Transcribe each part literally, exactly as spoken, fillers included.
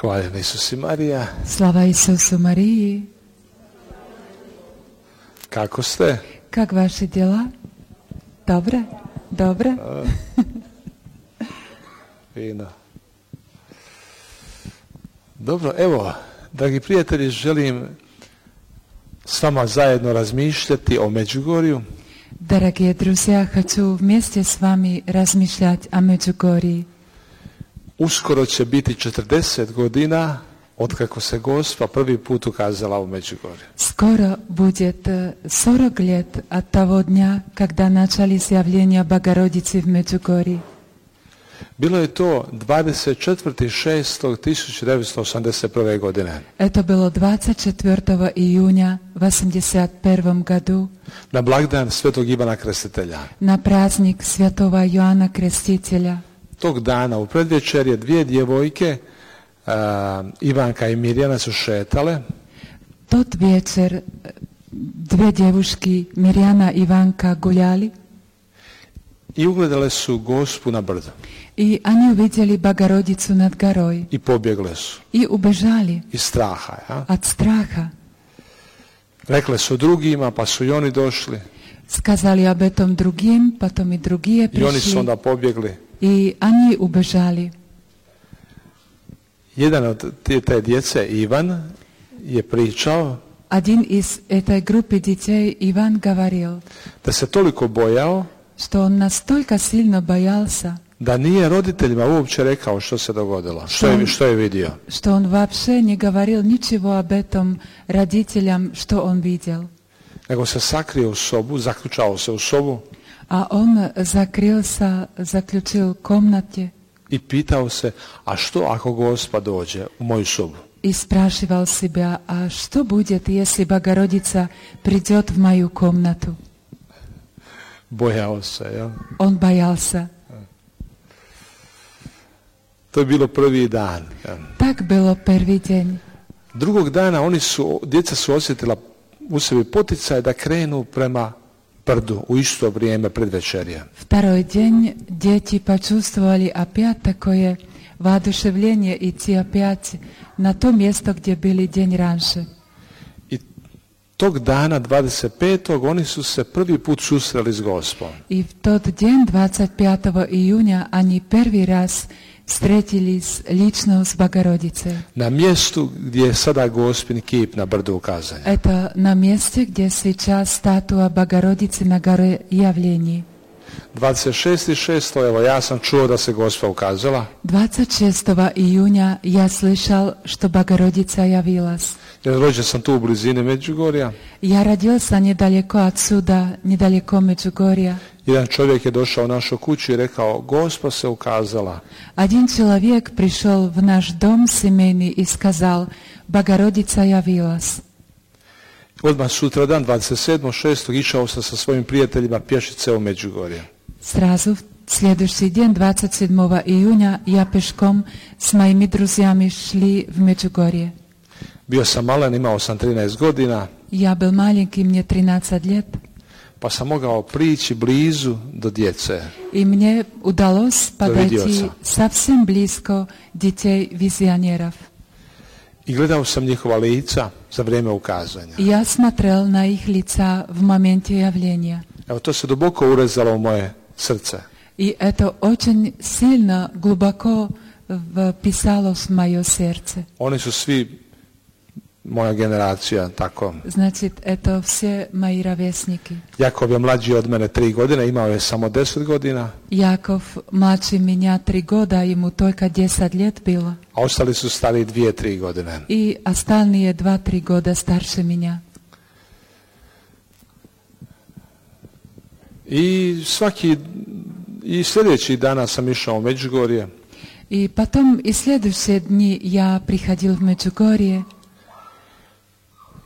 Hvala Isus i Marija. Slava Isusu Mariji. Kako ste? Как ваши дела? Добре? Добре? Fino. Dobro, evo, dragi prijatelji, želim s vama zajedno razmišljati o Međugorju. Дорогие друзья, хочу вместе с вами размышлять о Меджугорье. Uskoro će biti četrdeset godina od kako se Gospa prvi put ukazala u Međugorju. Скоро будет сорок лет от того дня, когда начались явления Богородицы в Меджугорье. Bilo je to dvadeset četvrtog šestog tisuće devetsto osamdeset prve. godine. Это было двадцать четвёртого июня в восемьдесят первом году. Na blagdan Svetog Ivana Krstitelja. На праздник Святого Иоанна Крестителя. Tog dana u predvečerje dvije djevojke, uh, Ivanka i Mirjana, su šetale. Тот вечер две девушки, Mirjana i Ivanka, гуляли. I ugledale su Gospu na brdu. И они увидели Богородицу над горой. I pobjegle su. И убежали. Iz straha. Ja? От страха. Rekle su drugima, pa su i oni došli. Сказали об этом другим, потом и другие I oni su пришли. onda pobjegli. И они убежали. Jedan od te, te djece, Ivan, je pričao Один из этой группы детей, Иван, говорил, da se toliko bojao что он настолько сильно боялся, da nije roditeljima uopće rekao što se dogodilo, što je, što je vidio. что он вообще не говорил ничего об этом родителям, что он видел. Nego se sakrio u sobu, zaključao se u sobu А он закрылся, заключил в комнате i pitao se, a što ako Gospa dođe u moju sobu? и спрашивал себя, а что будет, если Богородица придет в мою комнату? Bojao se, ja? Он боялся. To je bilo prvi dan. Ja. Так было первый день. Drugog dana oni su, djeca su osjetila u sebi poticaj da krenu prema brdu u isto vrijeme predvečerja. Второй день дети почувствовали опять такое воодушевление идти опять на то место, где были день раньше. I tog dana dvadeset petog oni su se prvi put susreli s Gospom. И в тот день, двадцать пятого июня, они первый раз встретились лично с Богородицей. Na mjestu gdje je sada Gospin kip na brdu ukazanja. Это на месте, где сейчас статуя Богородицы на горе Явлений. dvadeset šestog šestog evo ja sam čuo da se Gospa ukazala. двадцать шестого июня я слышал, что Богородица явилась. Jer rođen sam tu u blizini Međugorja. Я родился недалеко отсюда, недалеко Меджугорья. Jedan čovjek je došao u našu kuću i rekao, Gospa se ukazala. Один человек пришел в наш дом семейный и сказал, Богородица явилась. Odmah sutradan, dvadeset sedmog šestog išao sam sa svojim prijateljima pješice u Međugorje. Сразу в следующий день, двадцать седьмого июня, я пешком с моими друзьями шли в Меджугорье. Bio sam malen, imao sam trinaest godina, Я был маленький, мне тринадцать лет, pa sam mogao prići blizu do djece. и мне удалось подойти видеоца. совсем близко детей-визионеров. I gledao sam njihova lica za vrijeme ukazanja. И я смотрел на их лица в моменте явления. Evo, to se duboko urezalo u moje srce. И это очень сильно, глубоко вписалось в мое сердце. Oni su svi moja generacija, tako. Значит, это все мои ровесники. Jakov je mlađi od mene tri godine, imao je samo deset godina. Яков младше меня три года, ему только десять лет было. A ostali su stari dvije, tri godine. И остальные два-три года старше меня. I svaki, i sljedeći dana sam išao u Međugorje. И потом, и следующие дни я приходил в Меджугорье.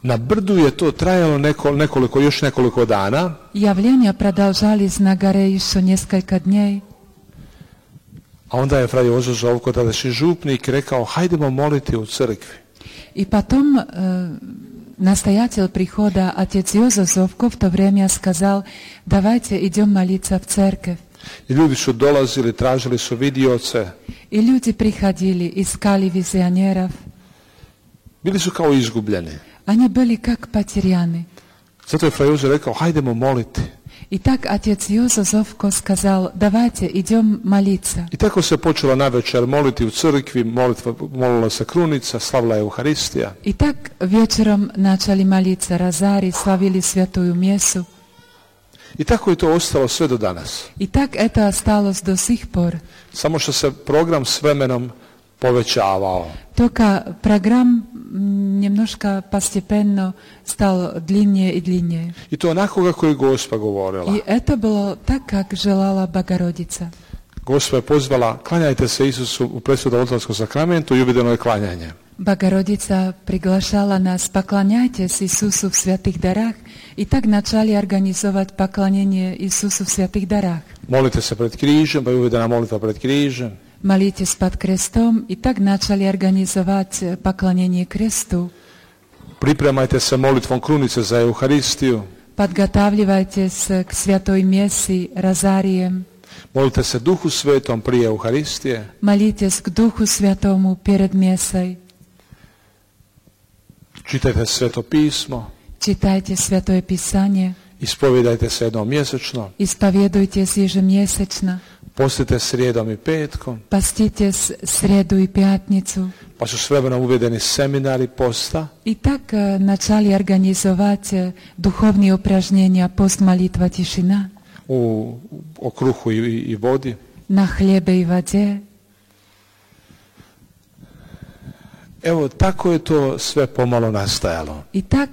Na brdu je to trajalo neko, nekoliko, još nekoliko dana. Явления продолжались на горе еще несколько дней. A onda je Fra Jozo Zovko, tadašnji župnik, rekao, hajdemo moliti u crkvi. И потом э, настоятель прихода, отец Йозеф Зовко, в то время сказал, давайте идем молиться в церковь. I ljudi su dolazili, tražili su vidioce. И люди приходили, искали визионеров. Bili su kao izgubljeni. Они были как потеряны. Zato je Fra Jozo rekao, hajdemo moliti. И так отец Йоза Зовко сказал, давайте идем молиться. I tako se počela navečer moliti u crkvi, molitva, molila se krunica, slavila je Euharistija. И так вечером начали молиться розарий, славили святую мессу. I tako je to ostalo sve do danas. И так это осталось до сих пор. Samo što se program s vremenom povećavao. Только программ немножко постепенно стал длиннее и длиннее. I to onako kako je Gospa govorila. И это было так, как желала Богородица. Gospa je pozvala, klanjajte se Isusu u presudnom oltarskom sakramentu i uvedeno je klanjanje. Богородица приглашала нас, поклоняйтесь Иисусу в святых дарах, и так начали организовать поклонение Иисусу в святых дарах. Molite se pred križem, pa je uvedena molitva pred križem. Молитесь под крестом, и так начали организовать поклонение кресту. Pripremajte se molitvom krunice za Euharistiju. Подготавливайтесь к святой мессе розарием. Molite se Duhu Svetom prije Euharistije. Молитесь к Духу Святому перед мессой. Čitajte Sveto pismo. Читайте Святое Писание. Ispovijedajte se jednom mjesečno. Исповедуйтесь ежемесячно. Postite srijedom i petkom. Поститесь среду и пятницу. Pa su s vremenom uvedeni seminari posta. И так начали организовать духовные упражнения пост, молитва, тишина. U, o kruhu i, i vodi. На хлебе и воде. Evo, tako je to sve pomalo nastajalo. И так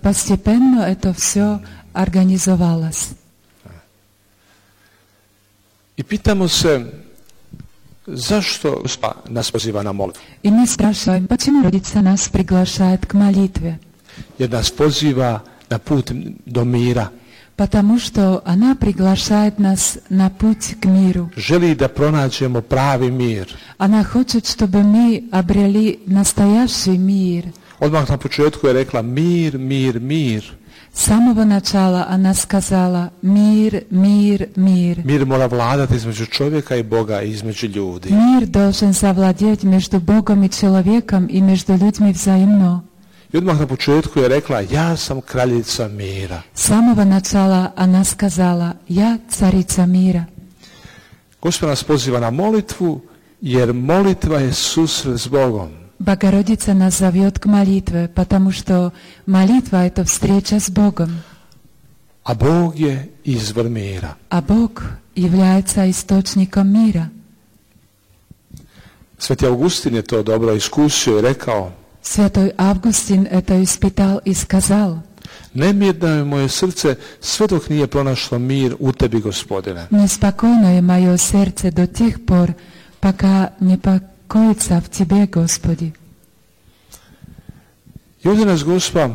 постепенно это все организовалось. I pitamo se, zašto Gospa nas poziva na molitvu? И мы спрашиваем, почему Родица нас приглашает к молитве? Jer nas poziva na put do mira. Потому что она приглашает нас на путь к миру. Želi da pronađemo pravi mir. Она хочет, чтобы мы обрели настоящий мир. Odmah na početku je rekla mir, mir, mir. С самого начала она сказала мир, мир, мир. Mir mora vladati između čovjeka i Boga i između ljudi. Мир должен завладеть между Богом и человеком и между людьми взаимно. I odmah na početku je rekla, ja sam kraljica mira. С самого начала она сказала, я царица мира. Gospod nas poziva na molitvu, jer molitva je susret s Bogom. Богородица нас зовет к молитве, потому что молитва — это встреча с Богом. A Bog je izvor mira. А Бог является источником мира. Sveti Augustin je to dobro iskusio i rekao, Святой Августин это испытал и сказал, nemirno je moje srce sve dok nije pronašlo mir u tebi, Gospodine. неспокойно je moje сердце до тех пор, пока не покоится в Тебе, Господи. I ovdje nas Gospa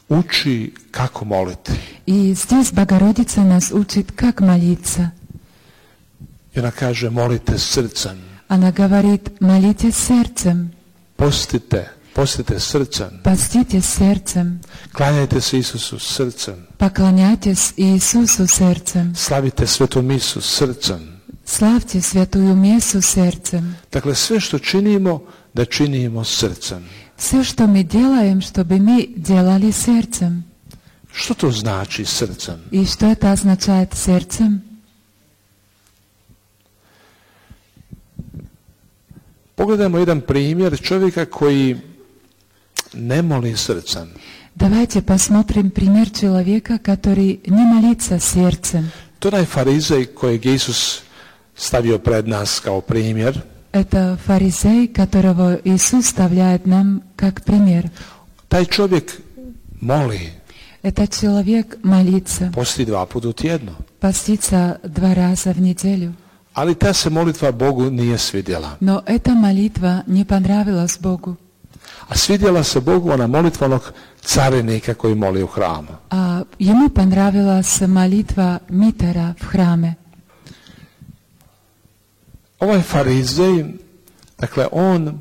uči kako moliti. И здесь Богородица нас учит, как молиться. I ona kaže, molite srcem. Она говорит, молитесь сердцем, Postite, postite srcem. поститесь сердцем, Klanjajte se Isusu srcem. поклоняйтесь Иисусу сердцем, Slavite svetu misu srcem. славьте святую мессу сердцем. Dakle, sve što činimo, da činimo srcem. Все, что мы делаем, чтобы мы делали сердцем. Što to znači srcem? И что это означает сердцем? Pogledajmo jedan primjer čovjeka koji ne moli srcem. Давайте посмотрим пример человека, который не молится сердцем. To je onaj farizej kojeg je Isus stavio pred nas kao primjer. Это фарисей, которого Иисус вставляет нам как пример. Taj čovjek moli, Этот человек молится, posti dva puta u tjednu. постится два раза в неделю. Ali ta se molitva Bogu nije svidjela. Но эта молитва не понравилась Богу. A svidjela se Bogu ona molitva onog carinika koji moli u hramu. А ему понравилась молитва митера в храме. Ovaj farizej, dakle, on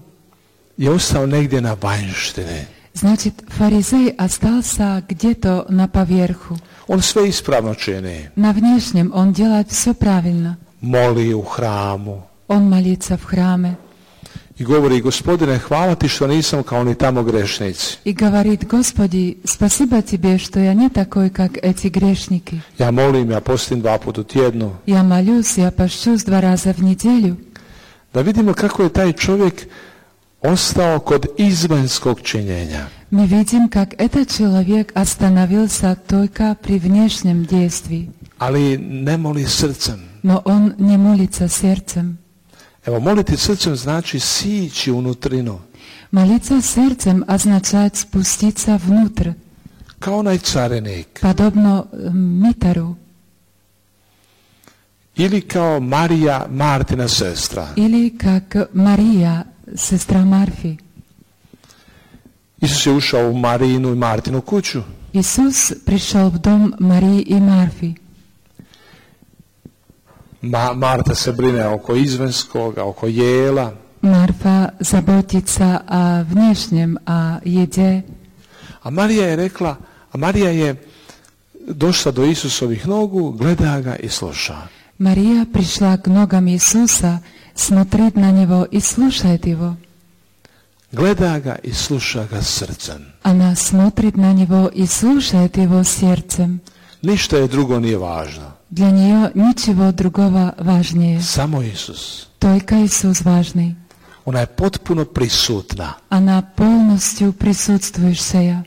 je ostao negdje na vanjštini. Значит, фарисей остался где-то на поверху. On sve ispravno čini. На внешнем он делает все правильно. moli u hramu. Он молится в храме. I govori, Gospodine, hvala ti što nisam kao ni tamo grešnici. И говорит: Господи, спасибо тебе, что я не такой, как эти грешники. Ja molim, ja postim dva puta u tjednu. Я молюсь, я пощусь два раза в неделю. Da vidimo kako je taj čovjek ostao kod izvanjskog činjenja. Мы видим, как этот человек остановился только при внешнем действии. Ali ne moli srcem. Но он не молится сердцем. Evo, moliti srcem znači sići unutrinu. Молиться сердцем означает спуститься внутрь, Kao onaj carinik. подобно митару. Ili kao Marija, Martina sestra. Или как Мария, сестра Марфи. Isus je ušao u Marinu i Martinu kuću. Иисус пришел в дом Марии и Марфи. Ma, Marta se brine oko izvanjskoga, oko jela. Марфа заботится о внешнем, о еде. A Marija je rekla, a Marija je došla do Isusovih nogu, gleda ga i sluša. Мария пришла к ногам Иисуса, смотрит на Него и слушает Его. Gleda ga i sluša ga srcem. Она смотрит на Него и слушает Его сердцем. Ništa je drugo nije važno. Для нее ничего другого важнее. Samo Isus. Только Иисус важный. Ona je potpuno prisutna. Она полностью присутствующая.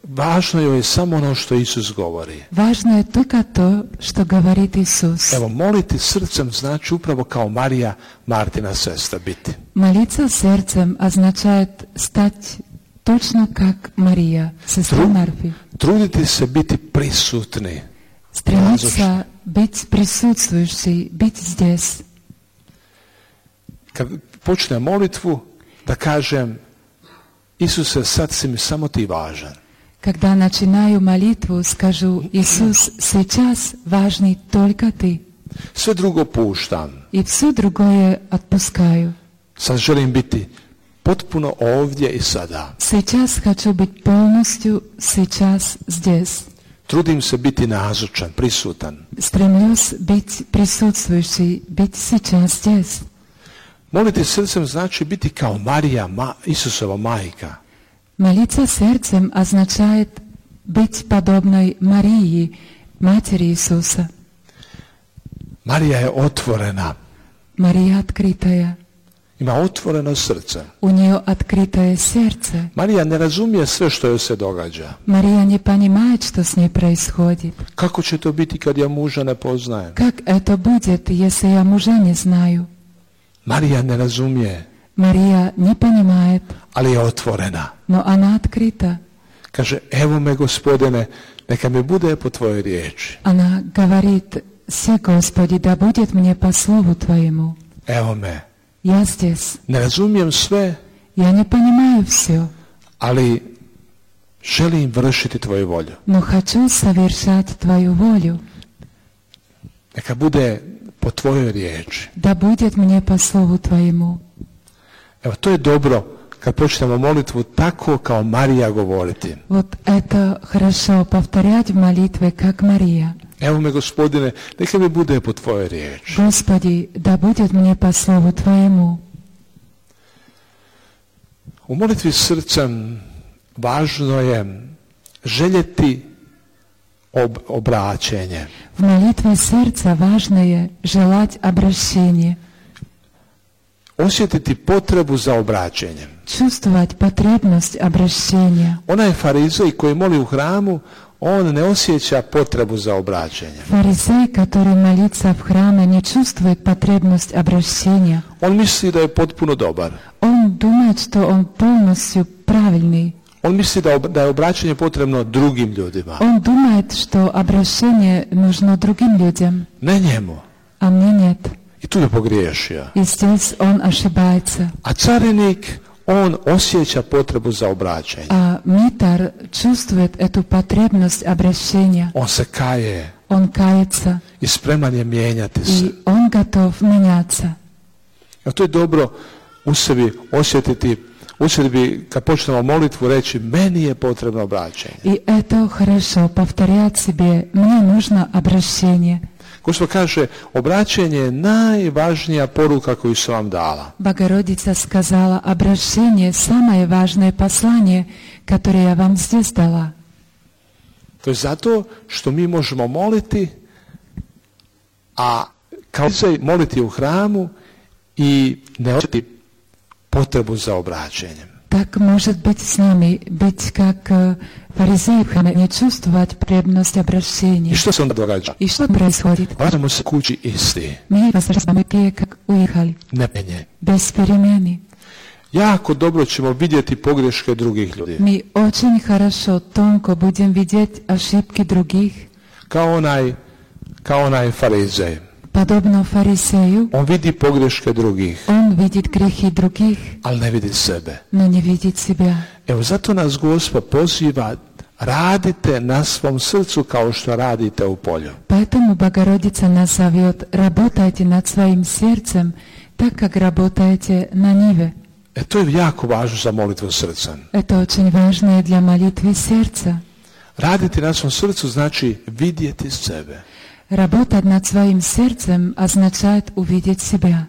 Važno joj je samo ono što Isus govori. Важно je только то, что говорит Иисус. Evo, moliti srcem znači upravo kao Marija, Martina sestra biti. Молиться сердцем означает стать точно как Мария, сестра Тру- Марфи. Truditi se biti prisutni. Стремиться быть присутствующей, быть здесь. Kad počnem molitvu, da kažem, Isuse, sad si mi samo ti važan. Когда начинаю молитву, скажу: Иисус, сейчас важный только Ты. Sve drugo puštam. И все другое отпускаю. Sad želim biti potpuno ovdje i sada. Сейчас хочу быть полностью сейчас здесь. Trudim se biti nazočan, prisutan. Стремлюсь быть присутствующей, быть сейчас здесь. Moliti srcem znači biti kao Marija, ma, Isusova majka. Молиться сердцем означает быть подобной Марии, матери Иисуса. Marija je otvorena. Мария открытая. Ima otvoreno srce. У нее открытое сердце. Marija ne razumije sve što joj se događa. Мария не понимает, что с ней происходит. Kako će to biti kad ja muža ne poznajem? Как это будет, если я мужа не знаю? Marija ne razumije, Мария не понимает, ali je otvorena. но она открыта. Kaže, evo me Gospodine, neka mi bude po tvojoj riječi. Она говорит: «Си, Господи, да будет мне по слову Твоему». Evo me. Я здесь. Ne razumijem sve, Я не понимаю все, ali želim vršiti tvoju volju. но хочу совершать Твою волю. Neka bude po tvojoj riječi. Да будет мне по слову Твоему. Evo, to je dobro kad počnemo molitvu tako kao Marija govoriti. Вот это хорошо повторять в молитве, как Мария. Evo me Gospodine, neka mi bude po tvojoj riječi. Господи, да будет мне по слову Твоему. U molitvi srcem važno je željeti ob, obraćenje. В молитве сердца важно je желать обращения, Osjetiti potrebu za obraćenjem. чувствовать потребность обращения. Onaj farizej koji moli u hramu, on ne osjeća potrebu za obraćenjem. Фарисей, который молится в храме, не чувствует потребность обращения. On misli da je potpuno dobar. Он думает, что он полностью правильный. On misli da, ob, da je obraćanje potrebno drugim ljudima. Он думает, что обращение нужно другим людям, Ne njemu. а мне нет. I tu je pogriješio. И здесь он ошибается. A carinik, on osjeća potrebu za obraćanje. А митар чувствует эту потребность обращения. On se kaje Он кается, i spreman je mijenjati se. и он готов меняться. A to je dobro u sebi osjetiti u sebi, kad počnemo molitvu, reći meni je potrebno obraćenje. И это хорошо, повторять себе, мне нужно обращение. Gospod kaže, obraćenje je najvažnija poruka koju sam vam dala. Богородица сказала, обращение самое важное послание, которое я вам здесь дала. To je zato što mi možemo moliti, a kao se moliti u hramu i ne osjetiti potrebu za obraćenjem. Так может быть с нами, быть как э, фаризеи в храме, не чувствовать потребность обращения. I što se onda događa? И что происходит? Vraćamo se kući isti. Мы возвращаемся те, как уехали, Ne penje. без перемены. Jako dobro ćemo vidjeti pogreške drugih ljudi. Мы очень хорошо, тонко будем видеть ошибки других, Kao onaj, kao onaj farizej. подобно фарисею. On vidi pogreške drugih, Он видит грехи других, ali ne vidi sebe. но не видит себя. Evo, zato nas Gospod poziva, radite na svom srcu kao što radite u polju. Поэтому Богородица нас зовет, работайте над своим сердцем, так как работаете на ниве. E, to je jako važno za molitvu srca. Это очень важно и для молитвы сердца. Raditi na svom srcu znači vidjeti sebe. Работать над своим сердцем означает увидеть себя.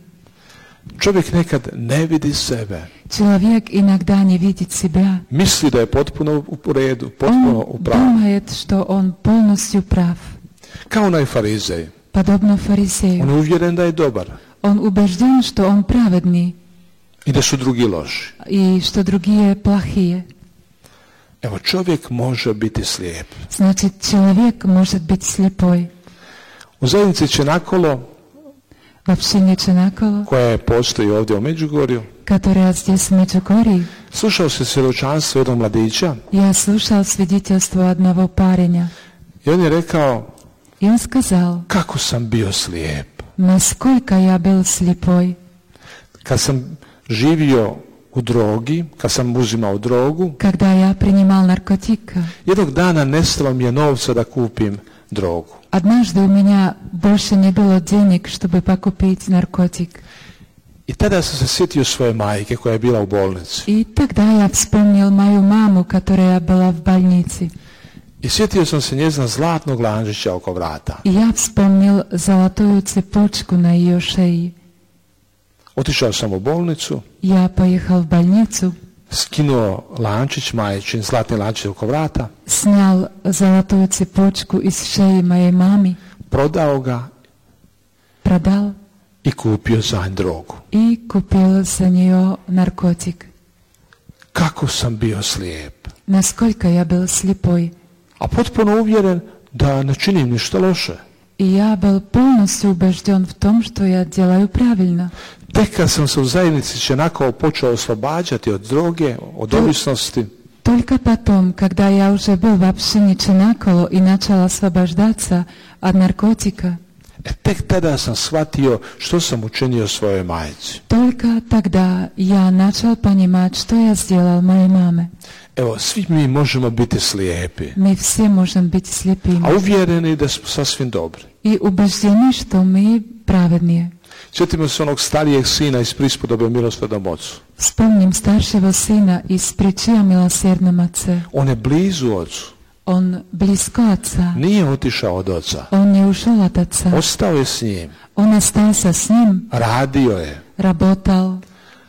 Čovjek nekad ne vidi sebe. Человек иногда не видит себя. Misli da je potpuno u redu, potpuno u Он pravu. думает, что он полностью прав. Kao onaj farizej. Подобно On фарисею. je uvjeren da je dobar Он убежден, что он праведный i da su drugi loši. и что другие плохие. Evo, čovjek može biti slijep. Значит, человек может быть слепой. U zajednici Čenakolo, В общине Ченаколо, koja postoji ovdje u Međugorju, которая здесь в Меджугорье, slušao se svjedočanstvo jednog mladića я слушал свидетельство одного парня. i on je rekao, И он сказал, kako sam bio slijep. насколько я был слепой. Kad sam živio u drogi, kad sam uzimao drogu, Когда я принимал наркотик, jednog dana nestalo mi je novca da kupim drogu. однажды у меня больше не было денег, чтобы покупить наркотик. I tada sam se sjetio svoje majke koja je bila u bolnici. И тогда я вспомнил мою маму, которая была в больнице. I sjetio sam se njezina zlatnog lančića oko vrata. И я вспомнил золотую цепочку на ее шее. Otišao sam u bolnicu, Я поехал в больницу, skinuo lančić, majčin zlatni lančić oko vrata, снял золотую цепочку из шеи моей мамы, prodao ga продал i kupio za nju drogu. и купил за нее наркотик. Kako sam bio slijep. Насколько я был слепой. A potpuno uvjeren da ne činim ništa loše. И я был полностью убежден в том, что я делаю правильно. Tek kad sam se u zajednici Čenakolo počeo oslobađati od droge, od ovisnosti, Только потом, когда я уже был в общине Ченаколо и начал освобождаться от наркотика, e, tek tada sam shvatio što sam učinio svojoj majci. только тогда я начал понимать, что я сделал моей маме. Evo, svi mi možemo biti slijepi, Мы все можем быть слепыми. a uvjereni da smo sasvim dobri. И убеждены, что мы праведные. Sjetimo se onog starijeg sina iz prispodobe milosrdnom ocu. Вспомним старшего сына из притчи о милосердном отце. On je blizu ocu. Он близко отца. Nije otišao od oca. Он не ушел от отца. Ostao je s njim. Он остался с ним, Radio je. работал,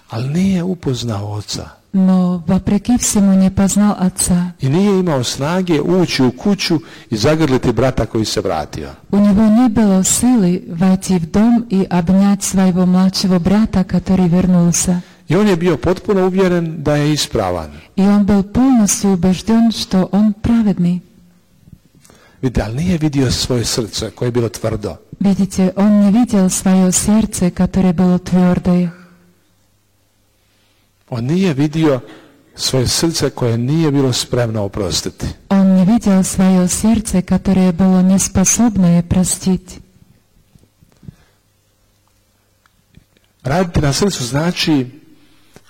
Ali nije upoznao oca. но вопреки всему не познал отца. I nije imao snage ući u kuću i zagrliti brata koji se vratio. У него не было силы войти в дом и обнять своего младшего брата, который вернулся. I on je bio potpuno uvjeren da je ispravan. И он был полностью убежден, что он праведный. Vidite, ali nije vidio svoje srce koje je bilo tvrdo. Видите, он не видел свое сердце, которое было твердое. On nije vidio svoje srce koje nije bilo spremno oprostiti. Он не видел свое сердце, которое было неспособное простить. Raditi na srcu znači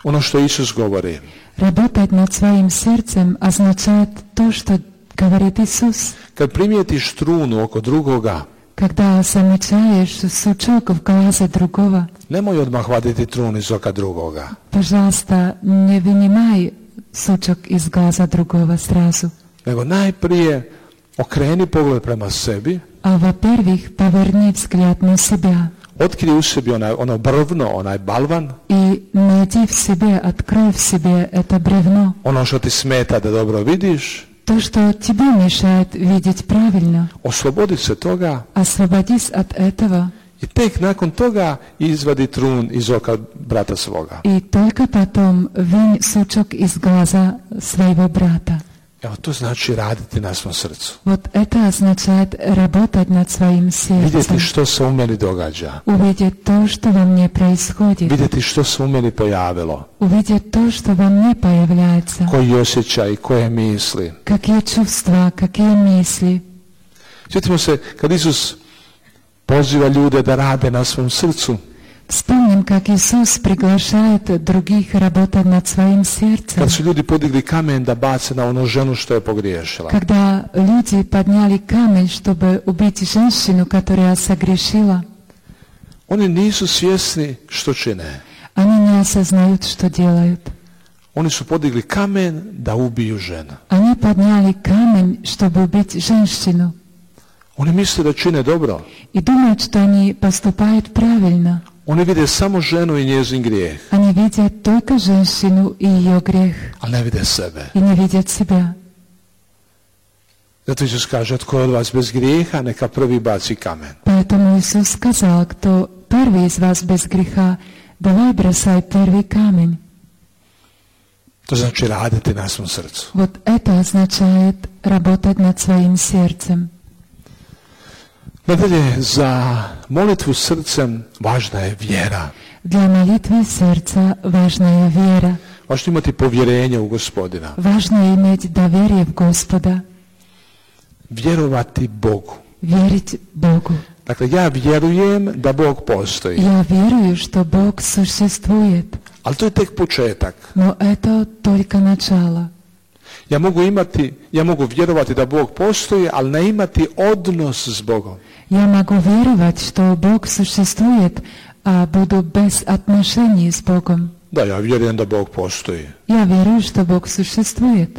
ono što Isus govori. Работать над своим сердцем означает то, что говорит Иисус. Kad primijetiš trunu oko drugoga, Когда замечаешь сучок в глазе другого, nemoj odmah vaditi trun iz oka drugoga. пожалуйста, не вынимай сучок из глаза другого сразу. Nego najprije okreni pogled prema sebi, А во-первых, поверни взгляд на себя otkrij u sebi onaj, ono brvno, onaj balvan, и найди в себе, открой в себе это бревно, ono što ti smeta da dobro vidiš, то, что тебе мешает видеть правильно. oslobodi se toga Освободись от этого, i tek nakon toga izvadi trun iz oka brata svoga. и только потом вынь сучок из глаза своего брата. Evo, to znači raditi na svom srcu. Вот это означает работать над своим Vidjeti сердцем, što se u meni događa. увидеть то, что во мне происходит, Vidjeti što se u meni pojavilo. увидеть то, что во мне появляется, Koji osjećaj, koje misli. какие чувства, какие мысли. Sjetimo se kad Isus poziva ljude da rade na svom srcu. Вспомним, как Иисус приглашает других работать над своим сердцем. Kad su ljudi podigli kamen da bace na onu ženu što je pogriješila. Когда люди подняли камень, чтобы убить женщину, которая согрешила, Oni nisu svjesni što čine. они не осознают, что делают. Oni su podigli kamen da ubiju ženu. Они подняли камень, чтобы убить женщину, Oni misle da čine dobro. и думают, что они поступают правильно. Oni vide samo ženu i njezin grijeh, Они видят только женщину и ее грех, ali ne vide sebe. и не видят себя. Zato Isus kaže, tko je od vas bez grijeha, neka prvi baci kamen. Поэтому Иисус сказал, кто первый из вас без греха, давай бросай первый камень. To znači raditi na svom srcu. Вот это означает работать над своим сердцем. Nadalje, za molitvu srcem važna je vjera. Для молитвы сердца важна вера. Važno imati povjerenje u Gospodina. Важно иметь доверие в Господа, Vjerovati Bogu. верить Богу. Dakle, ja vjerujem da Bog postoji. Я верую, что Бог существует, Ali to je tek početak. но это только начало. Ja mogu imati, ja mogu vjerovati da Bog postoji, ali ne imati odnos s Bogom. Я могу веровать, что Бог существует, а буду без отношений с Богом. Da, ja vjerujem da Bog postoji. Я верую, что Бог существует,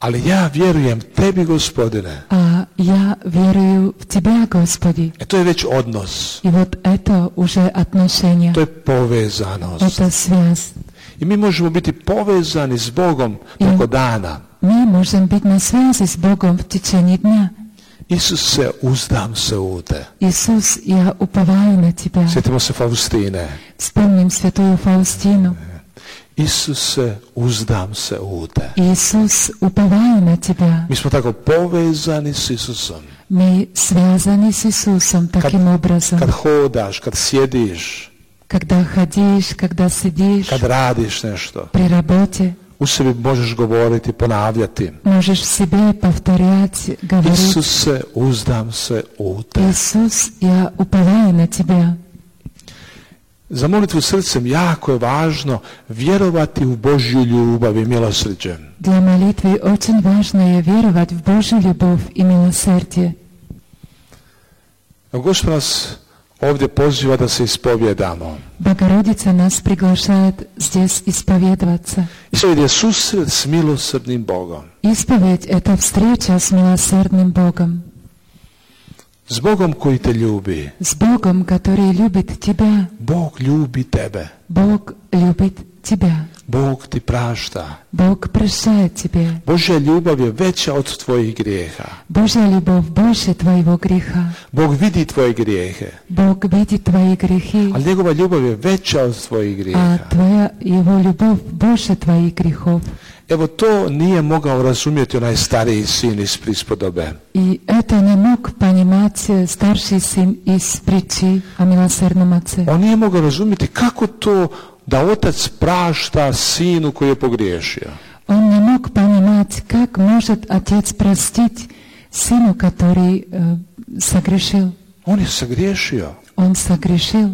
Ali ja vjerujem tebi, Gospodine. а я верую в Тебя, Господи. E to je već odnos. И вот это уже отношение, To je povezanost. это связь. I mi možemo biti povezani s Bogom preko dana. Мы можем быть на связи с Богом в течение дня. Isus se, uzdam se u te. Иисус, я уповаю на Тебя. Sjetimo se Faustine. Вспомним святую Фаустину. Isus se, uzdam se u te. Иисус, уповаю на Тебя. Mi smo tako povezani s Isusom. Мы связаны с Иисусом таким образом. Kad hodaš, kad sjediš, Когда ходишь, когда сидишь kad radiš nešto, при работе, u sebi možeš govoriti, ponavljati. можешь в себе повторять, говорить: Isus se, uzdam se u te. Иисус, я уповаю на Тебя. Za molitvu srcem jako je važno vjerovati u Božju ljubav i milosrđe. Для молитвы очень важно и веровать в Божью любовь и милосердие. Gospod nas ovdje poziva da se ispovjedamo. Богородица нас приглашает здесь исповедоваться. Ispovjed je susret s milosrdnim Bogom. Исповедь – это встреча с милосердным Богом. S Bogom koji te ljubi. С Богом, который любит тебя. Bog ljubi tebe. Бог любит тебя. Bog ti prašta. Бог прощает тебе. Božja ljubav je veća od tvojih grijeha. Божья любовь больше твоего греха. Bog vidi tvoje grijehe. Bог видит твои грехи, Ali njegova ljubav je veća od tvojih а grijeha. твоя Его любовь больше твоих грехов. Evo, to nije mogao razumjeti onaj stariji sin iz prispodobe. И это не мог понимать старший сын из притчи о милосердном отце. On nije mogao razumjeti kako to da otac prašta sinu koji je pogriješio. Он не мог понимать, как может отец простить сыну, который э, согрешил. On je sagriješio. Он согрешил.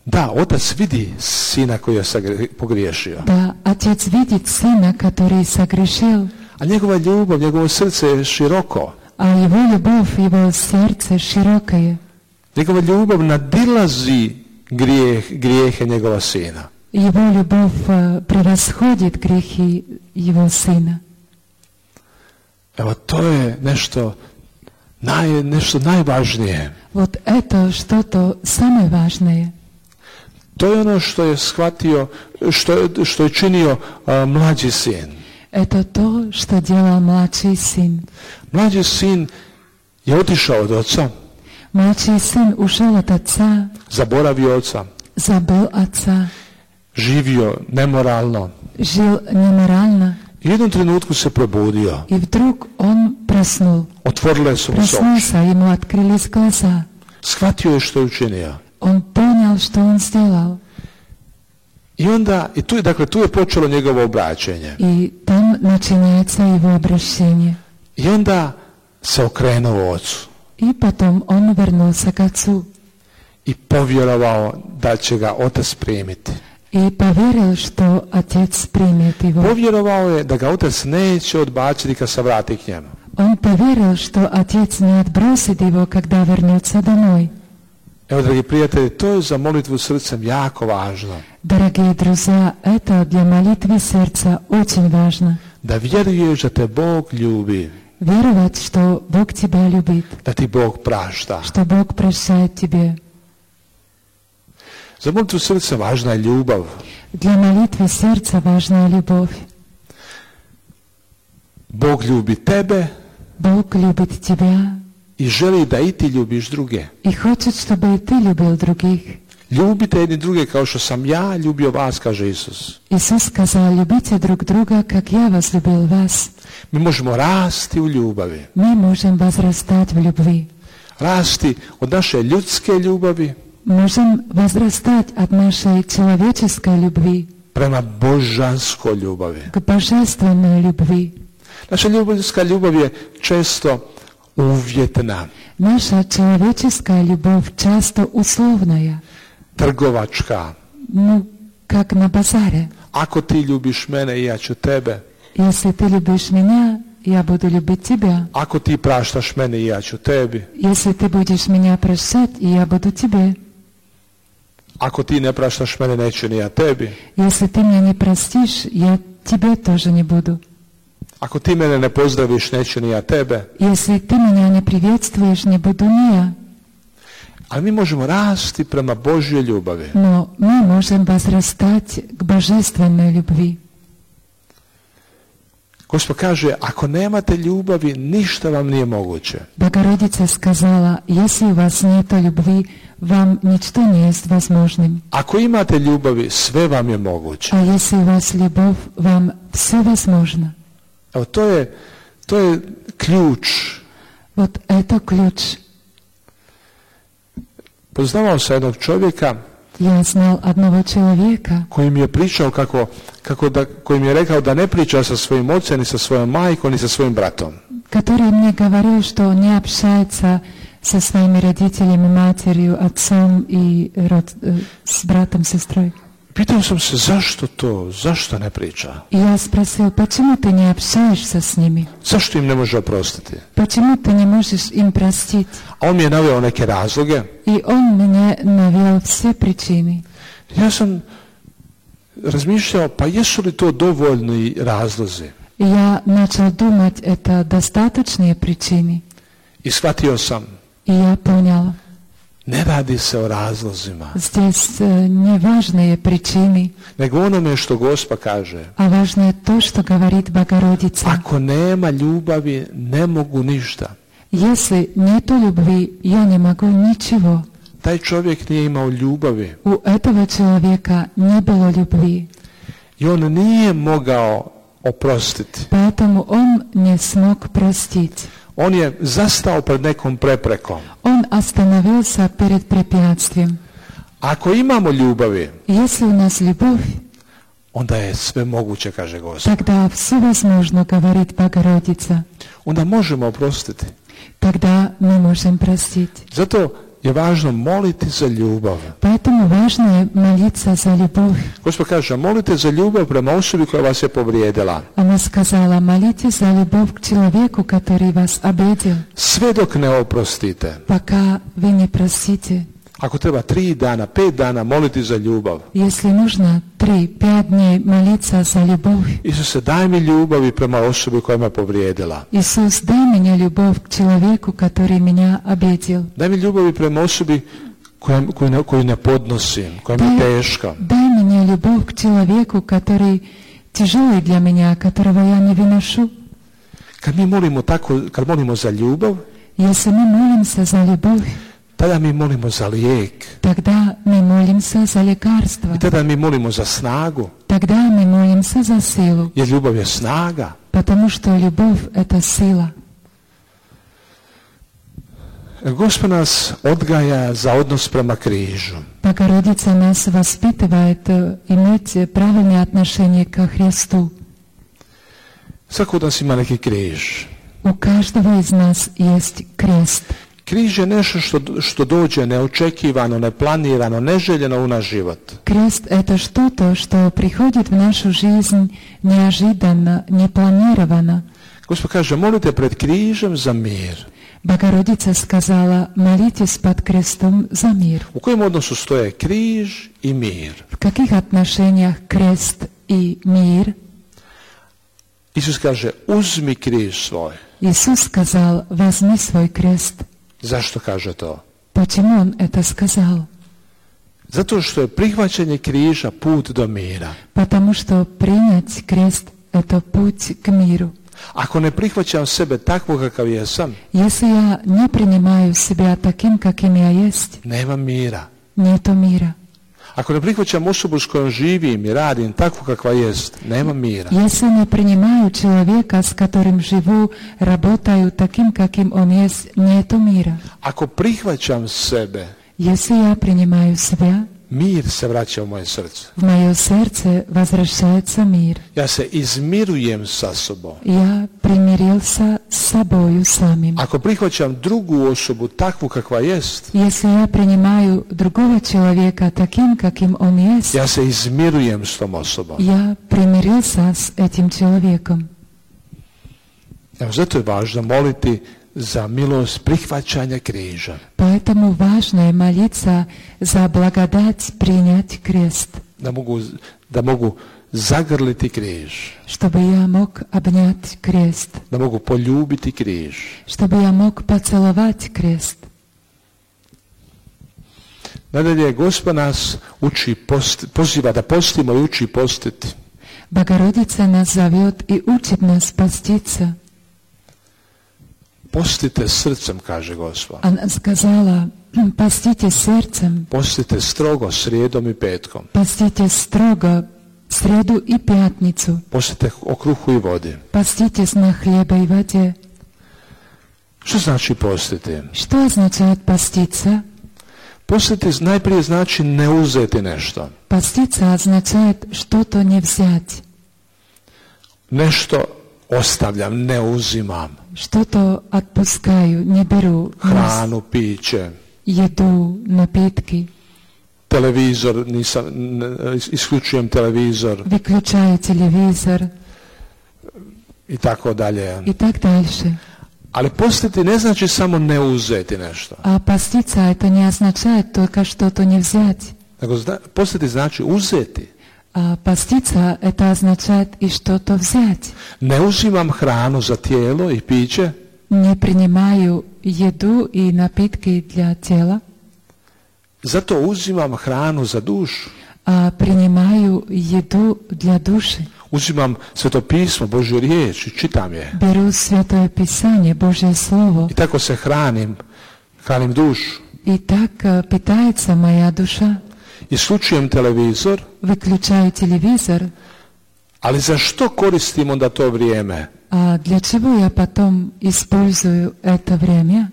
Da, otac vidi sina koji je sagre- pogriješio. Да, отец видит сына, который согрешил, A njegova ljubav, njegovo srce je široko. А его любовь, его сердце широкое. Njegova ljubav nadilazi grijeh, grijehe njegova sina. Его любовь превосходит грехи его сына. Evo, to je nešto, naj, nešto najvažnije. Вот это что-то самое важное. To je ono što je shvatio, što, što je činio uh, mlađi sin. Это то, что делал младший сын. Mlađi sin je otišao od oca, Младший сын ушел от отца, zaboravio oca, забыл отца, živio nemoralno. жил неморально, I u jednom trenutku se probudio. и вдруг он проснул. Otvorile su mu se oči. Проснулся, ему открылись глаза. Shvatio je što je učinio. Он понял, что он сделал. I onda, i tu je, dakle, tu je počelo njegovo obraćenje. И там начинается его обращение. I onda se okrenuo ocu. И потом он вернулся к отцу. I povjerovao da će ga otac primiti. И поверил, что отец примет его. Povjerovao je da ga otac neće odbaciti kad se vrati k njemu. Он поверил, что отец не отбросит его, когда вернется домой. Evo, dragi prijatelji, to je za molitvu srcem jako važno. Дорогие друзья, это для молитвы сердца очень важно. Da vjeruješ da te Bog ljubi, Веровать, что Бог тебя любит, da ti Bog prašta. что Бог прощает тебе. Za molitvu srca važna je ljubav. Для молитвы сердца важна любовь. Bog ljubi tebe Бог любит тебя i želi da i ti ljubiš druge. и хочет, чтобы и ты любил других. Ljubite jedni druge kao što sam ja ljubio vas, kaže Isus. Иисус сказал: любите друг друга, как я возлюбил вас. Mi možemo rasti u ljubavi. Мы можем возрастать в любви. Rasti od naše ljudske ljubavi Можем возрастать от нашей человеческой любви prema božanskoj ljubavi. к божественной любви. Naša ljubavska ljubav je često uvjetna, Наша человеческая любовь часто условная, trgovačka. ну, как на базаре. Ako ti ljubiš mene i ja ću tebe. Если ты любишь меня, я буду любить тебя. Ako ti praštaš mene i ja ću tebi. Если ты будешь меня прощать, и я буду тебе. Ako ti ne praštaš mene, neću ni ja tebi. Если ты меня не простишь, я тебе тоже не буду. Ako ti mene ne pozdraviš, neću ni ja tebe. Если ты меня не приветствуешь, не буду ни я. Ali mi možemo rasti prema Božjoj ljubavi. Но мы можем возрастать к божественной любви. Gospod kaže, ako nemate ljubavi, ništa vam nije moguće. Богородица сказала: если у вас нет любви, вам ничто не есть возможным. Ako imate ljubavi, sve vam je moguće. А если у вас любовь, вам все возможно. Evo, to je, to je ključ. Вот это ключ. Poznavao sam jednog čovjeka Я знал одного человека, koji mi je pričao kako, kako da, koji mi je rekao da ne priča sa svojim ocem, ni sa svojom majkom, ni sa svojim bratom. который мне говорил, что он не общается со своими родителями, матерью, отцом и род, с братом, сестрой. Pitao sam se zašto to, zašto ne priča? И я спросил: почему ты не общаешься с ними? Zašto im ne može oprostiti? Почему ты не можешь им простить? A on mi je naveo neke razloge. И он мне навел все причины. Ja sam razmišljao, pa jesu li to dovoljni razlozi? И я начал думать, это достаточные причины. I shvatio sam, И я понял, ne radi se o razlozima, здесь не важные причины, nego onome što Gospa kaže. а важно то, что говорит Богородица. Ako nema ljubavi, ne mogu ništa. Если нету любви, я не могу ничего. Taj čovjek nije imao ljubavi У этого человека не было любви, i on nije mogao oprostiti. поэтому он не смог простить. On je zastao pred nekom preprekom. Он остановился перед препятствием. Ako imamo ljubavi, Если у нас любовь, onda je sve moguće, kaže Gospod. тогда все возможно, говорит Богородица. Onda možemo oprostiti. Тогда мы можем простить. Zato je važno moliti za ljubav. Поэтому важно молиться за любовь. Gospod kaže, molite za ljubav prema osobi koja vas je povrijedila. Она сказала, молите за любовь к человеку, который вас обидел. Sve dok ne oprostite. Пока вы не простите. Ako treba tri dana, pet dana moliti za ljubav. Если нужно три, пять дней молиться за любовь. Isuse, daj mi ljubavi prema osobi koja me povrijedila. Иисус, дай мне любовь к человеку, который меня обидел. Daj mi ljubavi prema osobi koju, koju, koju ne podnosim, koja mi je teška. Дай мне любовь к человеку, который тяжелый для меня, которого я не выношу. Kad mi molimo tako, kad molimo za ljubav, Если мы молимся за любовь, tada mi molimo za lijek. тогда мы молимся за лекарство. I tada mi molimo za snagu. Тогда мы молимся за силу. Jer ljubav je snaga. Потому что любовь – это сила. Gospod nas odgaja za odnos prema križu. Богородица нас воспитывает иметь правильное отношение ко Христу. Svako od nas ima neki križ. У каждого из нас есть крест. Križ je nešto što, što dođe neočekivano, neplanirano, neželjeno u naš život. Крест – это что-то, что приходит в нашу жизнь неожиданно, непланированно. Gospod kaže, molite pred križem za mir. Богородица сказала, молитесь под крестом за мир. U kojem odnosu stoje križ i mir? В каких отношениях крест и мир? Isus kaže, uzmi križ svoj. Иисус сказал, возьми свой крест. Zašto kaže to? Почему Он это сказал? Zato što je prihvaćanje križa put do mira. Потому что принять крест – это путь к миру. Ako ne prihvaćam sebe takvog kakav jesam, Если я не принимаю себя таким, каким я есть, nema mira. нету мира. Ako ne prihvaćam osobu s kojom živim i radim takvu kakva jest, nema mira. Если не принимаю человека, с которым живу, работаю таким, каким он есть, нету мира. Ako prihvaćam sebe, Если я принимаю себя, mir se vraća u moje srce. в мое сердце возвращается мир. Ja se izmirujem sa sobom. Я примирился с собою самим. Ako prihvaćam drugu osobu takvu kakva jest, Если я принимаю другого человека таким, каким он есть, ja se izmirujem s tom osobom. я примирился с этим человеком. Evo, zato je važno moliti za milost prihvaćanja križa. Поэтому важно je молиться за благодать принять крест, Da mogu, da mogu zagrliti križ. чтобы я мог обнять крест, Da mogu poljubiti križ. чтобы я мог поцеловать крест. Nadalje, Gospod nas uči post, poziva da postimo i uči postiti. Богородица нас зовет и учит нас поститься. Postite srcem, kaže Gospod. Она сказала, постите сердцем, Postite strogo srijedom i petkom. постите строго среду и пятницу, Postite o kruhu i vodi. поститесь на хлебе и воде. Što znači postiti? Что означает поститься? Postiti najprije znači ne uzeti nešto. Поститься означает что-то не взять, Nešto ostavljam, ne uzimam. что-то отпускаю, не беру, Hranu, piće, еду, напитки, televizor, nisam, ne, isključujem televizor выключаю телевизор i tako dalje. и так дальше. Ali postiti ne znači samo ne uzeti nešto. А поститься это не означает только что-то не взять. Nego zna, postiti znači uzeti. А поститься это означает и что-то взять. Ne uzimam hranu za tijelo i piće, Не принимаю еду и напитки для тела, zato uzimam hranu za dušu. а принимаю еду для души. Uzimam Sveto pismo, Božju riječ i čitam je. Беру Святое Писание, Божье Слово, I tako se hranim, hranim dušu. и так э, питается моя душа. Isključujem televizor, Выключаю телевизор, ali za što koristim onda to vrijeme? а для чего я потом использую это время?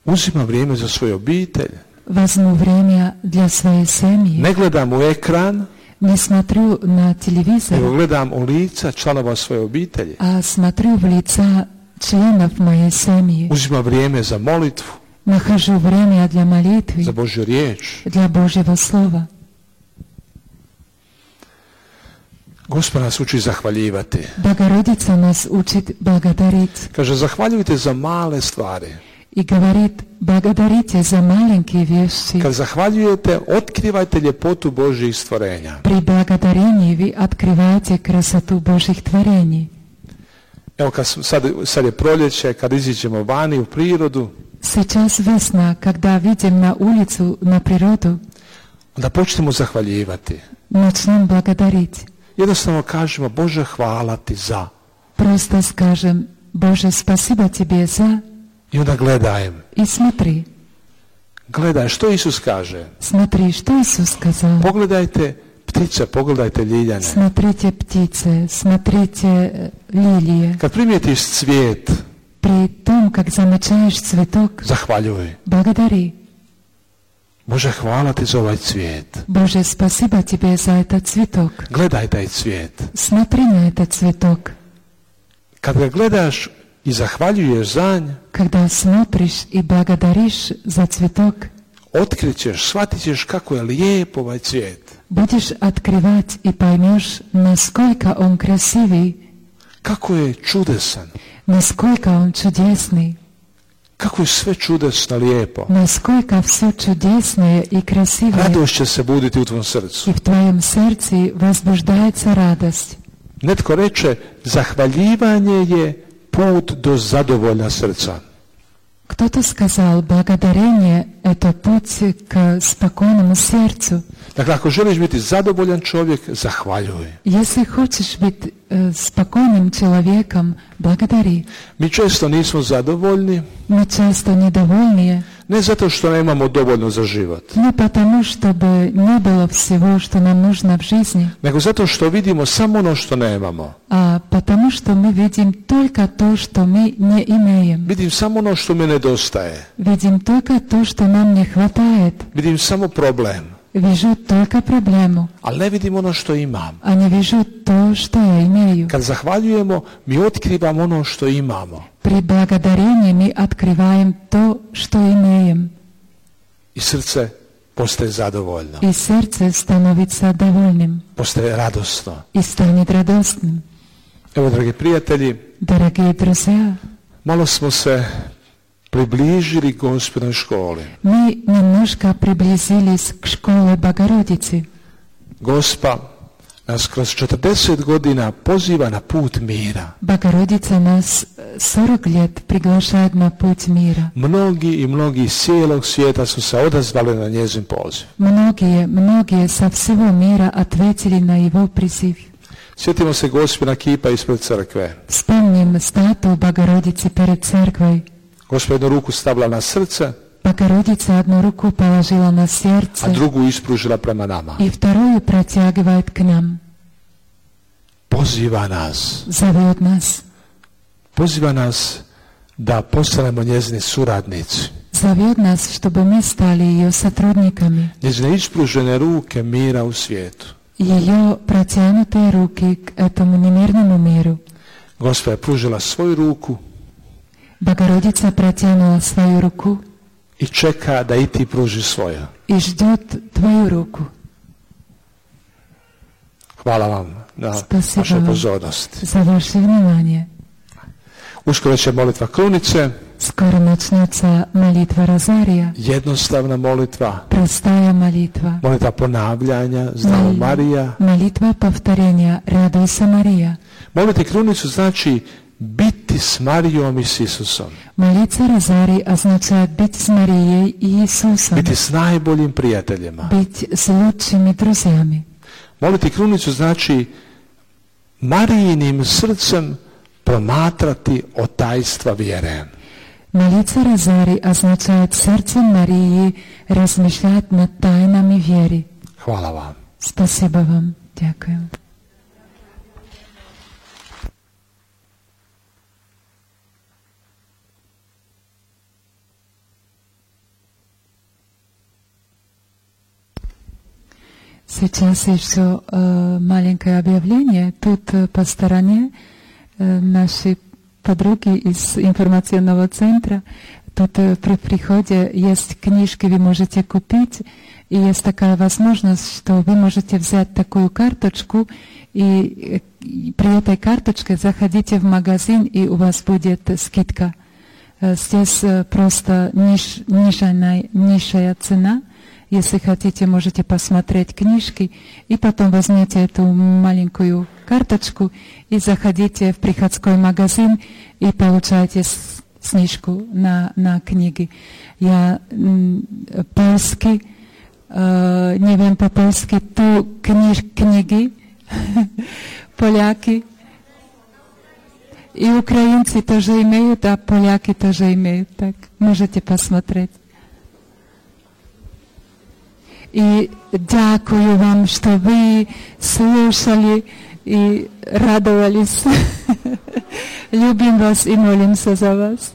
Uzimam vrijeme za svoju obitelj. Возьму время для своей семьи. Ne gledam u ekran, Не смотрю на nego телевизор, gledam u lica članova svoje obitelji. а смотрю в лица членов моей семьи. Uzimam vrijeme za molitvu. Нахожу время для молитвы, za Božju riječ. для Божьего Слова. Gospod nas uči zahvaljivati. Богородица нас учит благодарить. Kaže, zahvaljujte za male stvari. И говорит, благодарите за маленькие вещи. Kad zahvaljujete, otkrivajte ljepotu Božjih stvorenja. При благодарении вы открываете красоту Божьих творений. Evo, kad sad, sad je proljeće, kad iziđemo vani u prirodu, Сейчас весна, когда видим на улицу, на природу, onda počnemo zahvaljivati. начнем благодарить. Jednostavno kažemo, Bože, hvala ti za. Просто скажем, Боже, спасибо тебе за... I onda gledajem. И смотри, Gledaj, što Isus kaže? смотри, что Иисус сказал. Pogledajte ptice, pogledajte liljane. Смотрите птицы, смотрите лилии. Kad primijetiš cvijet, При том, как замечаешь цветок, zahvaljuj. благодари. Bože, hvala ti za ovaj cvijet. Боже, спасибо тебе за этот цветок. Gledaj taj cvijet. Смотри на этот цветок. Kad ga gledaš i zahvaljuješ za nj, Когда смотришь и благодаришь за цветок, otkrićeš, shvatit ćeš kako je lijep ovaj cvijet. будешь открывать и поймешь, насколько он красивый, Kako je čudesan. насколько он чудесный, Kako je sve čudesno lijepo. насколько все чудесное и красивое. Radost će se buditi u tvom srcu. И в твоем сердце возбуждается радость. Netko reče, zahvaljivanje je put do zadovoljna srca. Кто-то сказал, благодарение – это путь к спокойному сердцу. Dakle, ako želiš biti zadovoljan čovjek, zahvaljuj. Если хочешь быть э, спокойным человеком, благодари. Mi često nismo zadovoljni, Мы часто недовольны, ne zato što nemamo dovoljno za život, не потому, чтобы не было всего, что нам нужно в жизни, nego zato što vidimo samo ono što nemamo. а потому, что мы видим только то, что мы не имеем. Vidim samo ono što mi nedostaje. Видим только то, что нам не хватает. Vidim samo problem, Вижу только проблему, ali ne vidim ono što imam. а не вижу то, что я имею. Kad zahvaljujemo, mi otkrivamo ono što imamo. При благодарении мы открываем то, что имеем, I srce postaje zadovoljno, и сердце становится довольным, postaje radosno. и станет радостным. Evo, dragi prijatelji, Дорогие друзья, malo smo se približili Gospodnoj školi. мы немножко приблизились к школе Богородицы. Gospa nas kroz četrdeset godina poziva na put mira. Богородица нас сорок лет приглашает на путь мира. Mnogi i mnogi iz cijelog svijeta su se odazvali na njezin poziv. Многие, многие со всего мира ответили на его призыв. Sjetimo se Gospina kipa ispred crkve. Вспомним статую Богородицы перед церквой. Gospa jednu ruku stavila na srce, Богородица одну руку положила на сердце, a drugu ispružila prema nama. и вторую протягивает к нам. Poziva nas. Зовет нас. Poziva nas da postanemo njezini suradnici. Зовет нас, чтобы мы стали ее сотрудниками. Njezine ispružene ruke mira u svijetu. Ее протянутые руки к этому немирному миру. Gospa je pružila svoju ruku Богородица протянула свою руку i čeka da i ti pruži svoju. и ждет твою руку. Hvala vam na Spasibo vašoj vam pozornosti. за ваше внимание. Uskoro će molitva krunice, Скоро начнется молитва Розария, jednostavna molitva, простая молитва, molitva ponavljanja, Zdravo Mol- Marija. молитва повторения «Радуйся, Мария». Moliti krunicu znači biti s Marijom i s Isusom. Молиться Розарий означает быть с Марией и Иисусом, Biti s najboljim prijateljima. быть с лучшими друзьями. Moliti krunicu znači Marijinim srcem promatrati o tajstva vjere. Молиться Розарий означает сердцем Марии размышлять над тайнами веры. Hvala vam. Спасибо вам. Дякую. Сейчас еще э, маленькое объявление. Тут э, по стороне э, наши подруги из информационного центра. Тут при приходе есть книжки, вы можете купить, и есть такая возможность, что вы можете взять такую карточку, и при этой карточке заходите в магазин, и у вас будет скидка. Здесь просто ниш, нижняя, низшая цена. Если хотите, можете посмотреть книжки, и потом возьмите эту маленькую карточку и заходите в приходской магазин и получаете снижку на, на книги. Я польский, э, не wiem по-польски, ту книж, книги, поляки и украинцы тоже имеют, а поляки тоже имеют. Так, можете посмотреть. И дякую вам, что вы слушали и радовались. Любим вас и молимся за вас.